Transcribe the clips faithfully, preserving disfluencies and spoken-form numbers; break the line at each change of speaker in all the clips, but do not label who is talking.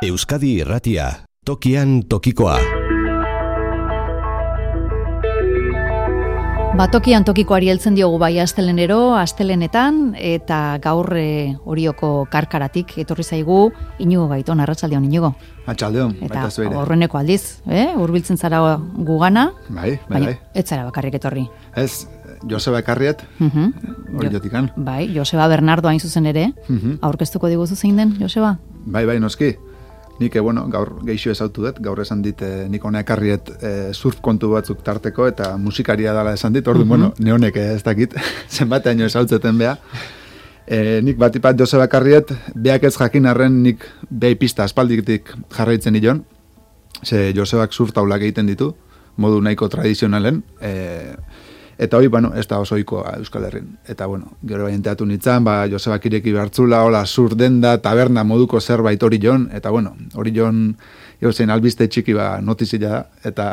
Euskadi Irratia, tokian tokikoa.
Ba, tokian tokikoari heltzen diogu bai astelenero, astelenetan, eta gaur e, Orioko karkaratik etorri zaigu Iñigo Gaiton, arratsaldeon Iñigo.
Arratsaldeon, baita zuere.
Eta horreneko aldiz, eh? Hurbiltzen zara gugana,
bai, bai, bai.
Ez zara bakarrik etorri.
Ez, Joseba ekarriet, uh-huh. Oriotikan.
Bai, Joseba Bernardo hain zuzen ere, uh-huh. Aurkeztuko diguzu zein den, Joseba?
Bai, bai, noski. Nik, bueno, gaur geixo ezautu dut, gaur esan dit, eh, nik hona ekarriet eh, surf kontu batzuk tarteko, eta musikaria dela esan dit, orduan, uh-huh. bueno, neonek ez dakit, zenbateaino ezautzeten beha. E, nik batipat Joseba ekarriet, beak ez jakin arren nik behi pista aspalditik jarraitzen nion, ze Josebak surf taulak egiten ditu, modu nahiko tradizionalen, e, eta hori, bueno, ez da oso ohikoa Euskal Herrin. Eta, bueno, gero bain teatu nintzen, ba, Josebak ireki behartzula, hola, sur denda, taberna moduko zerbait hori jon, eta, bueno, hori jon, zen albiste txiki ba notizia da, eta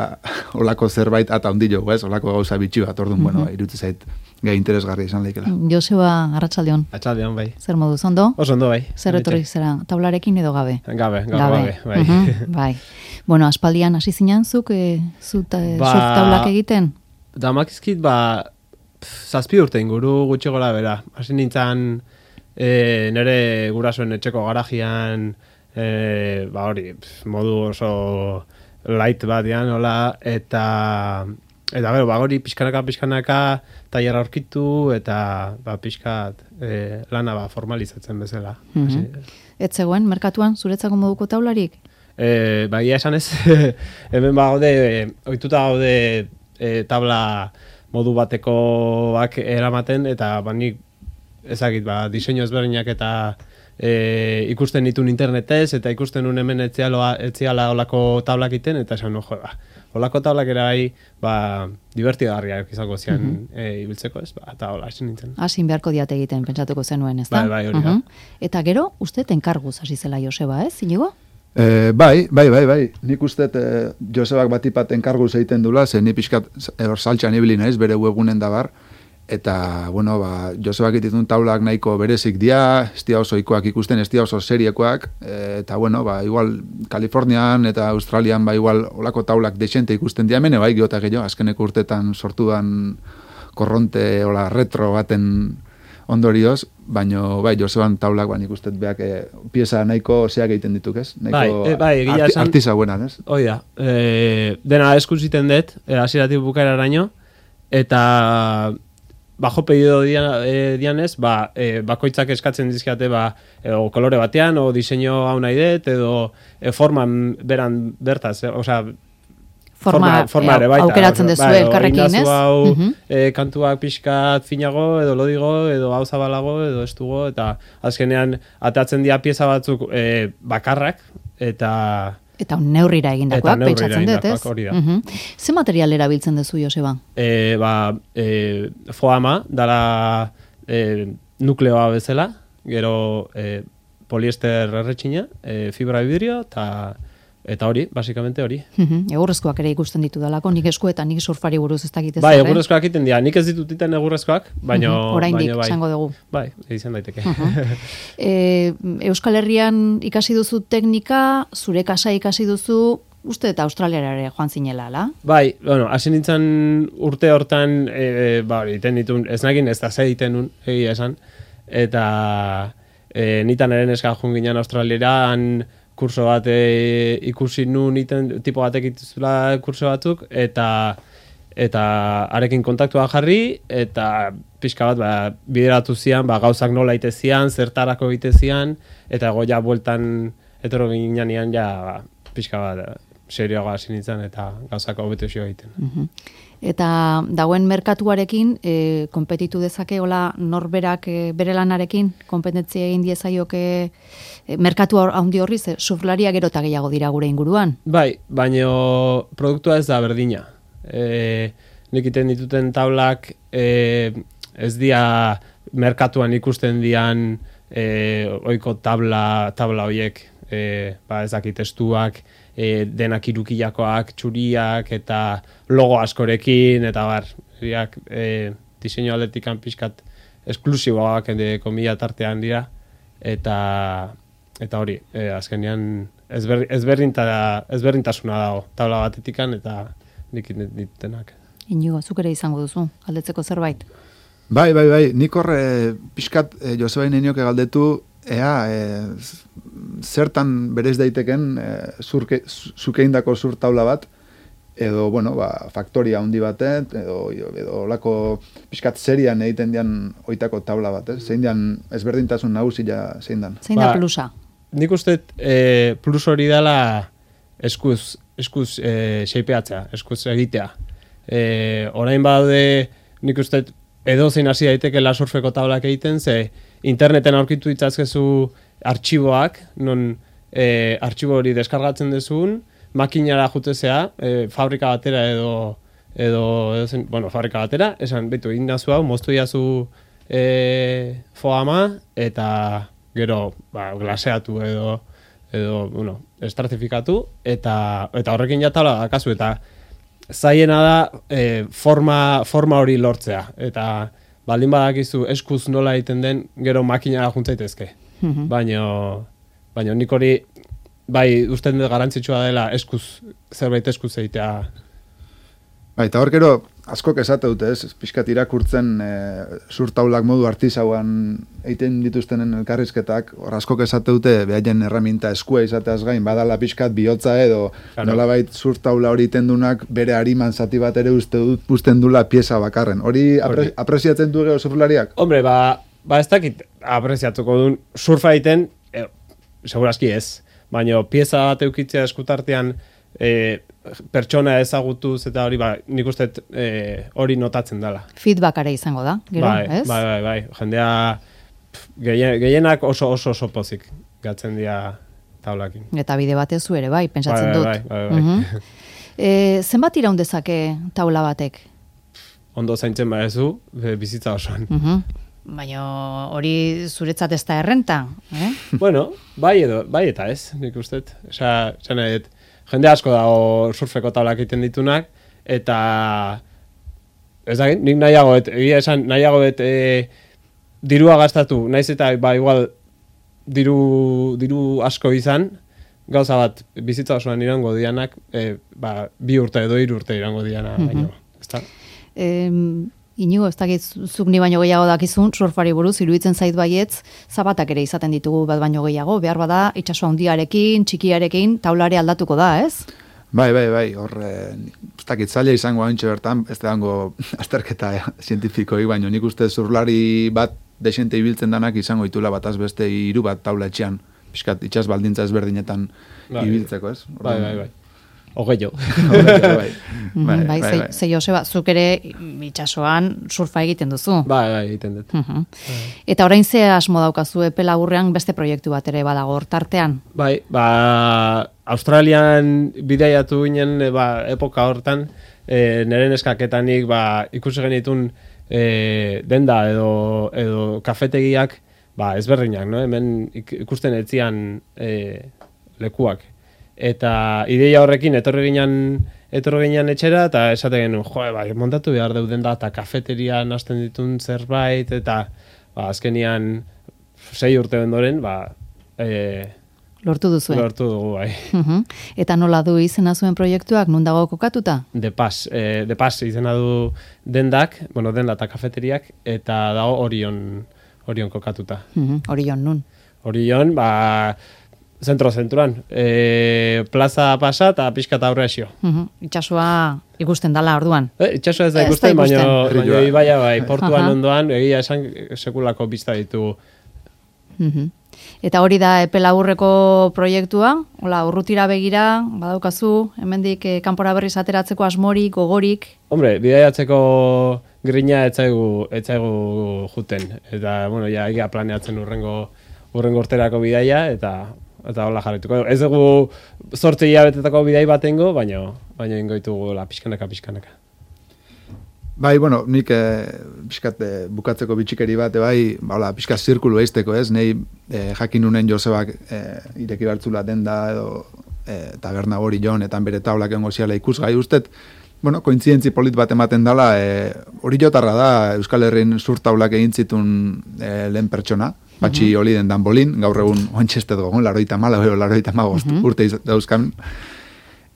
holako zerbait ata handi jo, ez, holako gauza bitxi bat, orduan, mm-hmm. bueno, iruditzen zait, gai interesgarria izan leikela.
Joseba, arratsaldeon.
Arratsaldeon, bai.
Zer modu, ondo?
Oso ondo, bai.
Zer etorri zera, taularekin edo gabe?
Gabe, gabe, gabe, bai.
Uh-huh, bai. Bueno, aspaldian hasi zinen zuk, e, zut, e, ba, surf taulak egiten?
Damakizkit, ba, zazpi urte inguru gutxi gora bera. Hasi nintzen e, nire gurasoen etxeko garajian, e, ba hori, modu oso light bat dian, hola, eta, eta gero, ba hori pixkanaka, pixkanaka, tailerra aurkitu, eta ba, pixkat e, lana ba, formalizatzen bezala.
Mm-hmm. Ez zegoen, merkatuan, zuretzako moduko taularik?
E, ba, ia esan ez, hemen ba gaude, ohituta gaude, E, tabla modu batekoak eramaten, eta ba, nik ezagit, ba, diseinu ezberdinak eta e, ikusten ditun internetez, eta ikusten un hemen etziala olako tablak iten, eta esan, no, jo, ba, olako tablak era bai, ba, divertigarriak izango zian mm-hmm. e, ibiltzeko, ez, ba, eta hola, esin nintzen.
Hasin beharko diate egiten, pentsatuko zenuen, ez da?
Bai, bai, hori da. Uh-huh.
Eta gero, uste tenkarguz hasi zela Joseba, ez, Iñigo?
E, bai, bai, bai, bai. Nik uste e, Josebak batipat enkarguz egiten dula, ze ni pixkat hor saltxan ibili naiz, bere webunen dabar, eta, bueno, ba, Josebak ititun taulak nahiko berezik dia, ez dia oso ikoak ikusten, ez dia oso seriekoak, e, eta, bueno, ba, igual, Kalifornian eta Australian, ba, igual, olako taulak desente ikusten dia, mene, bai, geota gehiago, azkeneko urtetan sortudan korronte, hola, retro baten ondorioz, baino bai, Joseban taulak ba nik uste beak e, pieza nahiko zeak egiten dituk, ez? Nahiko
bai, e, bai, egia
arti,
esan,
artiza buenan, ez?
Hoi da, e, dena eskuziten dut, e, hasieratik bukaeraraino, eta bajo pedido dian, e, dianez, ba, e, bakoitzak eskatzen dizkiate, ba, edo kolore batean, o diseño hau nahi dut, edo e, forman beran bertaz, e, osea,
Forma, forma, forma ere baita. Aukeratzen dezu bai, elkarrekin, ez?
Hau, uh-huh. e, kantuak pixkat finago, edo lodigo, edo hau zabalago, edo estugo, eta azkenean atatzen dira pieza batzuk e, bakarrak, eta...
Eta neurrira egindakoak, pentsatzen dut, ez?
Hori da.
Uh-huh. Ze material erabiltzen dezu, Joseba?
E, ba, e, foama, dara e, nukleoa bezala, gero e, poliester erretxina, e, fibra vidrio, eta... Eta hori, basikamente hori.
Uh-huh. Egurrezkoak ere ikusten ditu dalako, nik eskuetan, nik surfari buruz ez dakit ez.
Bai, egurrezkoak iten dira, nik ez ditut iten egurrezkoak, baina...
Uh-huh. Oraindik,
bai.
Zango dugu.
Bai, izan daiteke.
Uh-huh. e, Euskal Herrian ikasi duzu teknika, zure kasa ikasi duzu, uste eta Australiara ere joan zinela, ala?
Bai, bueno, hasi nintzen urte hortan, e, ba, iten ditun, ez nagin, ez da ze iten nun, egia esan, eta e, nitan eren eska joan ginen Australiara, kurso bat e, ikusi nun iten, tipo batek ituzula kurso batzuk, eta eta arekin kontaktua jarri, eta pixka bat ba, bideratu zian, ba, gauzak nola ite zian, zertarako ite zian, eta goia bueltan etoro ginean ja ba, pixka bat serioagoa hasi nintzen, eta gauzak hobetu zio egiten.
Uh-huh. Eta dagoen merkatuarekin, e, konpetitu dezake, hola, norberak e, bere lanarekin, konpetentzia egin diezaioke e, merkatu handi horri, ze surflaria gero eta gehiago dira gure inguruan.
Bai, baino produktua ez da berdina. E, nik iten dituten tablak e, ez dia merkatuan ikusten dian e, oiko tabla, tabla hoiek, e, ba, ez dakit testuak, E, denak irukilakoak, txuriak, eta logo askorekin, eta bar, biak, e, diseinu aldetikan pixkat esklusiboak, komila tartean dira, eta eta hori, e, azkenean ezber, ezberdinta, ezberdintasuna dago taula batetikan eta nik ditenak.
Inigo, zuk ere izango duzu, galdetzeko zerbait?
Bai, bai, bai, nik hor e, pixkat e, Joseba Inenioke galdetu, ea, e, zertan berez daiteken e, zurke, zukeindako zur taula bat, edo, bueno, ba, faktoria handi batet, edo, edo lako pixkat serian egiten dian oitako taula bat, eh? Zein dian ezberdintasun nagusia zein dan?
Zein da plusa?
Nik uste e, plus hori dela eskuz, eskuz e, xeipeatzea, eskuz egitea. E, orain badaude, nik uste edo zein hasi daiteke surfeko tablak egiten, ze interneten aurkitu itzazkezu artxiboak, non e, artxibo hori deskargatzen dezun, makinara jutezea, e, fabrika batera edo, edo, edo zen, bueno, fabrika batera, esan, betu, indazu hau, moztu iazu e, foama, eta gero, ba, glaseatu edo, edo, bueno, estratifikatu, eta, eta horrekin jatala dakazu, eta zaiena da e, forma, forma hori lortzea, eta baldin badakizu eskuz nola egiten den, gero makinara juntzaitezke. Mm-hmm. Baina, baina nik hori, bai, uste dut garantzitsua dela eskuz, zerbait eskuz egitea.
Bai, eta hor gero, askok esate dute, ez, pixkat irakurtzen e, surtaulak modu artisauan egiten dituztenen elkarrizketak, hor askok esate dute, behaien erraminta eskua izateaz gain, badala pixkat bihotza edo, claro. Nolabait surtaula hori itendunak bere hariman zati bat ere uste dut, usten dula pieza bakarren. Hori apre, apreziatzen du gero surflariak?
Hombre, ba, ba ez dakit apreziatuko duen surfa egiten, e, segurazki ez, baina pieza bat eukitzea eskutartean, e, pertsona ezagutuz eta hori, ba, nik uste e, hori notatzen dela.
Feedbackare izango da, gero,
bai,
ez?
Bai, bai, bai. Jendea gehien, gehienak oso oso oso pozik gatzen dira taulakin.
Eta bide batez zu ere, bai, pentsatzen
bai,
dut.
Bai, bai, bai.
Uh-huh. e, zenbat iraun dezake taula batek?
Ondo zaintzen badezu, bizitza osoan.
Uh-huh. Baina hori zuretzat ez da errenta, eh?
Bueno, bai edo, bai eta ez, nik uste. Osea, zena dut, jende asko dago surfeko taulak egiten ditunak, eta ez da, nik nahiago, et, egia esan, nahiago et, e, dirua gastatu, naiz eta, ba, igual, diru, diru asko izan, gauza bat, bizitza osoan irango dianak, e, ba, bi urte edo hiru urte irango diana, mm-hmm. baino, ez da?
Em, Inigo, ez dakit, zuk ni baino gehiago dakizun, surfari buruz, iruditzen zait baietz, zabatak ere izaten ditugu bat baino gehiago, behar bada, itsaso handiarekin, txikiarekin, taulare aldatuko da, ez?
Bai, bai, bai, hor, ez dakit, zaila izango haintxe bertan, ez dango azterketa eh, zientifikoi, baino nik uste zurlari bat desente ibiltzen danak izango itula bataz beste hiru bat taula etxean, pixkat, itxas baldintza ezberdinetan bai, ibiltzeko, ez?
Bai, bai, bai. Ogei jo.
bai,
bai, bai, bai, ze Joseba, zuk ere itsasoan surfa egiten duzu.
Bai, bai, egiten dut.
Uh-huh. Bai. Eta orain ze asmo daukazu epe laburrean beste proiektu bat ere badago hortartean?
Bai, ba, Australian bidaiatu ginen, ba, epoka hortan, e, nire neskaketanik, ba, ikusi genitun e, denda edo, edo kafetegiak, ba, ezberdinak, no? Hemen ikusten etzian e, lekuak. Eta ideia horrekin etorri ginen etorri ginen etxera eta esate genuen, jo, bai, montatu behar deuden da eta kafeterian hasten ditun zerbait eta ba, azkenian sei urte ondoren, ba, e,
lortu duzu.
Lortu dugu, bai.
Uh-huh. Eta nola du izena zuen proiektuak, nun dago kokatuta?
De Paz, e, De Paz izena du dendak, bueno, denda eta kafeteriak, eta dago Orion, Orion kokatuta.
Uh-huh. Orion nun?
Orion, ba, zentro-zenturan, e, plaza pasa eta pixka eta aurre esio.
Uh-huh. Itxasua ikusten dala orduan.
E, itxasua ez da ikusten, baina ibaia bai, portuan uh-huh. ondoan, egia esan sekulako pista ditugu.
Uh-huh. Eta hori da epe laburreko proiektua, hola, urrutira begira, badaukazu, hemendik eh, kanpora berriz ateratzeko asmorik, gogorik?
Hombre, bidaiatzeko grina etzaigu, etzaigu juten. Eta, bueno, ja, egia planeatzen urrengo, urrengo urterako bidaia, eta eta hola jarrituko. Ez dugu zortzi hilabetetako bidai batengo, baina baina ingo ditugu la pixkanaka pixkanaka.
Bai, bueno, nik eh, pixkat eh, bukatzeko bitxikeri bate bai, ba, hola, pixkat zirkulu eizteko, ez? Nei eh, jakin unen Josebak eh, ireki bartzula denda edo eh, taberna hori jon, eta bere taulak engo ziala ikusgai ustet, bueno, kointzientzi polit bat ematen dala, eh, hori jotarra da Euskal Herrin surtaulak egin zitun eh, lehen pertsona, Patxi
Mhm.
Oliden danbolin, gaur egun ointxestet gogon, laroita mala, laroita magost
Mhm.
urte iz- dauzkan.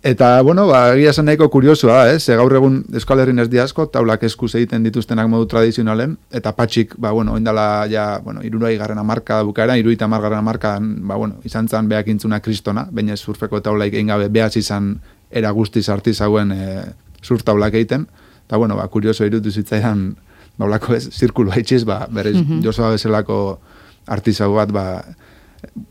Eta, bueno, ba, egia esan nahiko kuriosoa, eh? Ze gaur egun Euskal Herrin ez diasko, taulak eskuz egiten dituztenak modu tradizionalen, eta patxik, ba, bueno, oindala, ja, bueno, irurai garrana marka bukaera, iruita margarrena markan, ba, bueno, izan zan behak intzuna kristona, baina surfeko taulaik egin gabe behaz izan era guztiz artizauen e, surf taulak egiten, eta, bueno, ba, kurioso irutu zitzaidan, ba, olako ez, zirkulu haitxiz, ba, berriz,
Mhm.
Josua bezalako artizau bat, ba,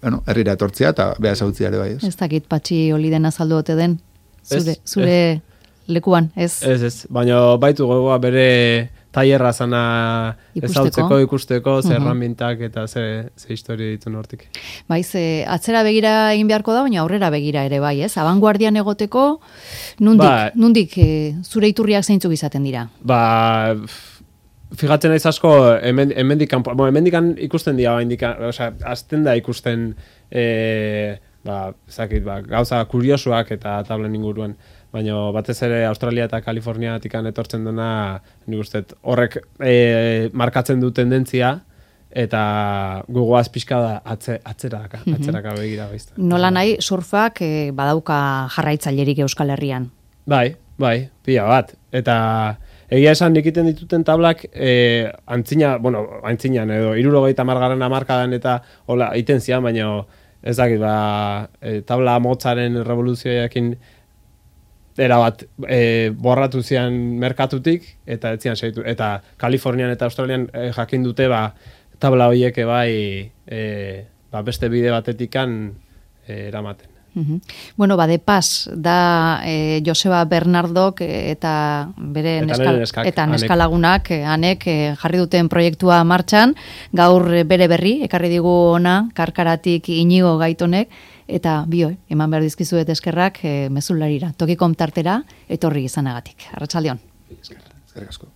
bueno, herrira etortzia eta behaz hautzia ere bai, ez?
Ez dakit Patxi Oliden azaldu ote den, zure,
Ez,
zure lekuan, ez?
Ez, ez, baina baitu gogoa bere tailerra zana
Ikusteko.
ezautzeko, ikusteko, ze
Mhm.
erramintak eta ze, ze historia dituen hortik.
Bai, ze atzera begira egin beharko da, baina aurrera begira ere bai, ez? Abanguardian egoteko, nundik,
Ba.
nundik e, zure iturriak zeintzuk izaten dira?
Ba, f- fijatzen naiz asko, hemen, hemendikan, bueno, hemendikan ikusten dira, hemendikan, osea, azten da ikusten, e, ba, zakit, ba, gauza kuriosuak eta tablen inguruan, baina batez ere Australia eta Kaliforniatikan etortzen dena, nik uste, horrek e, markatzen du tendentzia, eta gogoaz pixka da atze, atzeraka,
Mhm.
atzeraka begira baizta.
Nola nahi, surfak e, badauka jarraitzailerik Euskal Herrian.
Bai, bai, pila bat. Eta egia esan egiten dituten tablak e, antzina, bueno, antzinan edo hirurogeita hamargarren hamarkadan eta hola egiten zian, baina ez dakit, ba, e, tabla motzaren revoluzioekin era bat e, borratu zian merkatutik eta ez zian segitu. Eta Kalifornian eta Australian e, jakin dute ba, tabla horiek bai e, ba, beste bide batetikan e, eramaten.
Mhm. Bueno, ba, de pas, da e, Joseba Bernardok e, eta bere
Eta
neskal,
nire neskak,
eta
Anek.
neskalagunak, e, anek e, jarri duten proiektua martxan, gaur e, bere berri, ekarri digu ona, karkaratik Inigo Gaitonek, eta bio, eman behar dizkizuet eskerrak e, mezularira, tokikom tartera, etorri izanagatik. Arratsaldeon.
Eskerrik asko.